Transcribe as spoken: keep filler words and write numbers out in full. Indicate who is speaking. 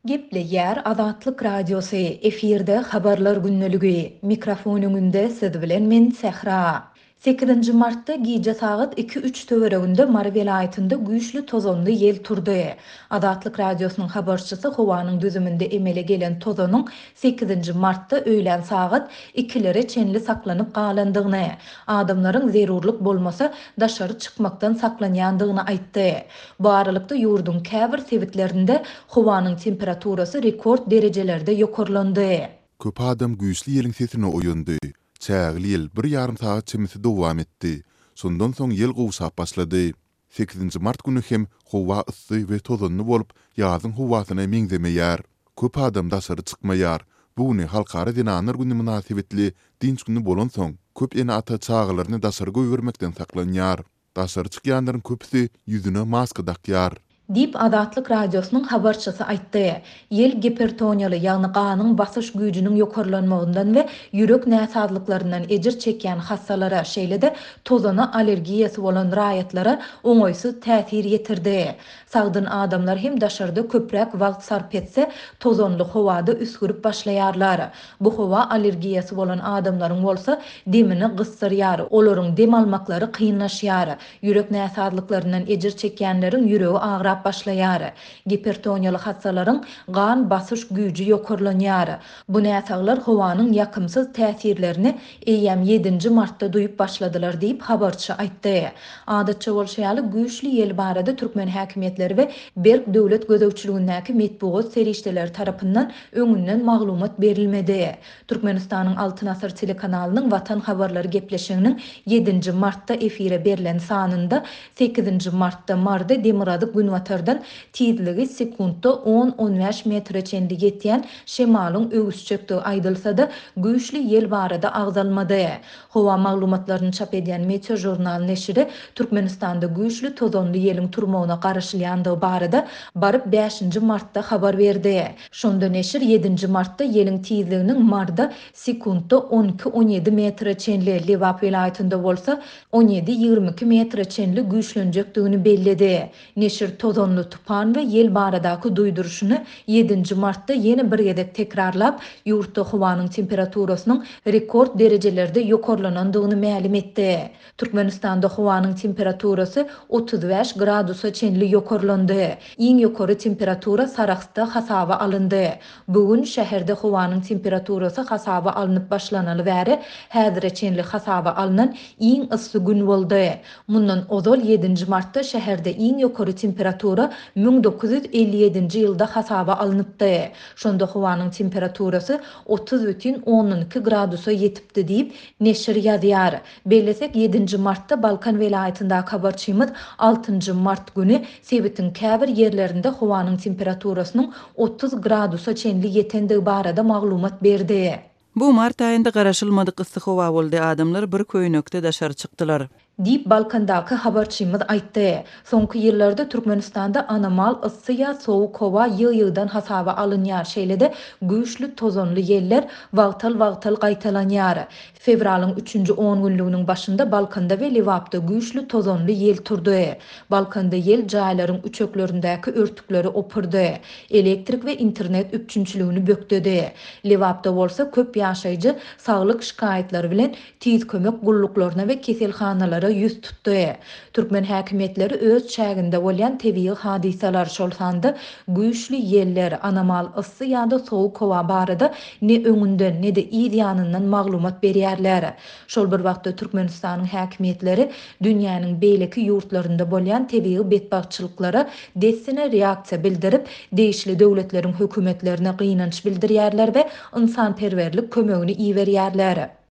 Speaker 1: Gepleýär Azatlyk Radiosy, efirde Habarlar gündeligi. Mikrofon öňünde siz bilen men Sähra. Sekizinji martda gije sagat iki-üç töwereginde Mary welaýatynda güýçli tozanly ýel turdy. Azatlyk Radiosynyň habarçysy howanyň düzüminde emele gelen tozanyň sekizinji martda öýlän sagat ikilere çenli saklanyp galandygyny, adamlaryň zerurlyk bolmasa daşary çykmakdan saklanýandygyny aýtdy. Bu aralykda ýurduň käbir sebitlerinde howanyň temperaturasy rekord derejelerde ýokarlandy.
Speaker 2: Köp adam güýçli ýeliň sesine oýandy. Çägeli ýel bir ýarym sagat çemesi dowam etdi. Şondan soň ýel gowşap başlady. Sekizinji mart güni hem howa yssy we tozanly bolup, ýazyň howasyna meňzemeýär. Köp adam daşary çykmaýar. Bu güni Halkara zenanlar güni mynasybetli dynç güni bolansoň, köp ene-ata çagalaryny daşary goýbermekden saklanýar. Daşary çykýanlaryň köpüsi ýüzüne maska dakýar.
Speaker 1: Diýip, Azatlyk Radiosynyň habarçysy aýtdy. Ýel gipertoniýaly, ýagny ganyň basyş güýjüniň ýokarlanmagyndan we ýürek näsazlyklaryndan ejir çekýän hassalara, şeýle-de tozana allergiýasy bolan raýatlara oňaýsyz täsir ýetirdi. Sagdyn adamlar hem daşarda köpräk wagt sarp etse, tozanly howada üsgürip başlaýarlar. Bu howa allergiýasy bolan adamlaryň bolsa demini gysdyrýar, olaryň dem almaklary kynlaşýar. Ýürek näsazlyklaryndan ejir çekýänleriň ýüregi agrap başlaýar. Gipertoniýaly hassalaryň gan basyş güýji ýokarlanýar. Bu näsaglar howanyň ýakymsyz täsirlerini eýýäm ýedinji martda duýup başladylar diýip, habarçy aýtdy. Adatça bolşy ýaly, güýçli ýel barada türkmen häkimiýetleri we berk döwlet gözegçiligindäki metbugat serişdeleri tarapyndan öňünden maglumat berilmedi. Türkmenistanyň Altyn asyr telekanalynyň Watan habarlary gepleşiginiň ýedinji martda efire berlen sanynda sekizinji martda Marda demirgazyk günbatardan tizligi sekuntda on-on bäş metre çenli ýetýän şemalyň öwüsjekdigi aýdylsa-da, güýçli ýel barada agzalmady. Howa maglumatlaryny çap edýän Meteožurnal neşiri Türkmenistanda güýçli tozanly ýeliň turmagyna garaşylýandygy barada baryp bäşinji martda habar berdi. Şonda neşir ýedinji martda ýeliň tizliginiň Marda sekuntda on iki-on ýedi metre çenli, Lebap welaýatynda bolsa on ýedi-ýigrimi iki metre çenli güýçlenjekdigini belledi. Neşir tozanly tupan we ýel baradaky duýduryşyny ýedinji martda ýene bir gezek tekrarlap, ýurtda howanyň temperaturasynyň rekord derejelerde ýokarlanandygyny mälim etdi. Türkmenistanda howanyň temperaturasy otuz bäş gradusa çenli ýokarlandy. Iň ýokary temperatura Sarahsda hasaba alyndy. Bu gün şäherde howanyň temperaturasy hasaba alnyp başlanaly bäri häzire çenli hasaba alynan iň yssy gün boldy. Mundan ozal ýedinji martda şäherde iň ýokary temperatura müň dokuz ýüz elli ýedinji ýylda hasaba alnypdy. Şonda howanyň temperaturasy otuz bütin ondan iki gradusa ýetipdi diýip, neşir ýazýar. Bellesek, ýedinji martda Balkan welaýatyndaky habarçymyz altynjy mart güni sebitiň käbir ýerlerinde howanyň temperaturasynyň otuz gradusa çenli ýetendigi barada maglumat berdi.
Speaker 3: Bu mart aýynda garaşylmadyk yssy howa boldy, adamlar bir köýnekde daşary çykdylar.
Speaker 1: Diýip, Balkandaky habarçymyz aýtdy. Soňky ýyllarda Türkmenistanda anomal yssy ýa sowuk howa ýygy-ýygydan hasaba alynýar, şeýle-de güýçli tozanly ýeller wagtal-wagtal gaýtalanýar. Fewralyň üçünji on günlüginiň başynda Balkanda we Lebapda güýçli tozanly ýel turdy. Balkanda ýel jaýlaryň üçeklerindäki örtükleri opurdy, elektrik we internet üpjünçiligini bökdedi. Lebapda bolsa köp ýaşaýjy saglyk şikaýatlary bilen tiz kömek gulluklaryna we keselhanalara ýüz tutdy. Türkmen häkimiýetleri öz çäginde bolýan tebigy hadysalar, şol sanda güýçli ýeller, anomal yssy ýa-da sowuk howa barada ne öňünden, ne-de yz ýanyndan maglumat berýärler. Şol bir wagtda Türkmenistanyň häkimiýetleri dünýäniň beýleki ýurtlarynda bolýan tebigy betbagtçylyklara dessine reaksiýa bildirip, degişli döwletleriň hökümetlerine gynanç bildirýärler we ynsanperwerlik kömegini iberýärler.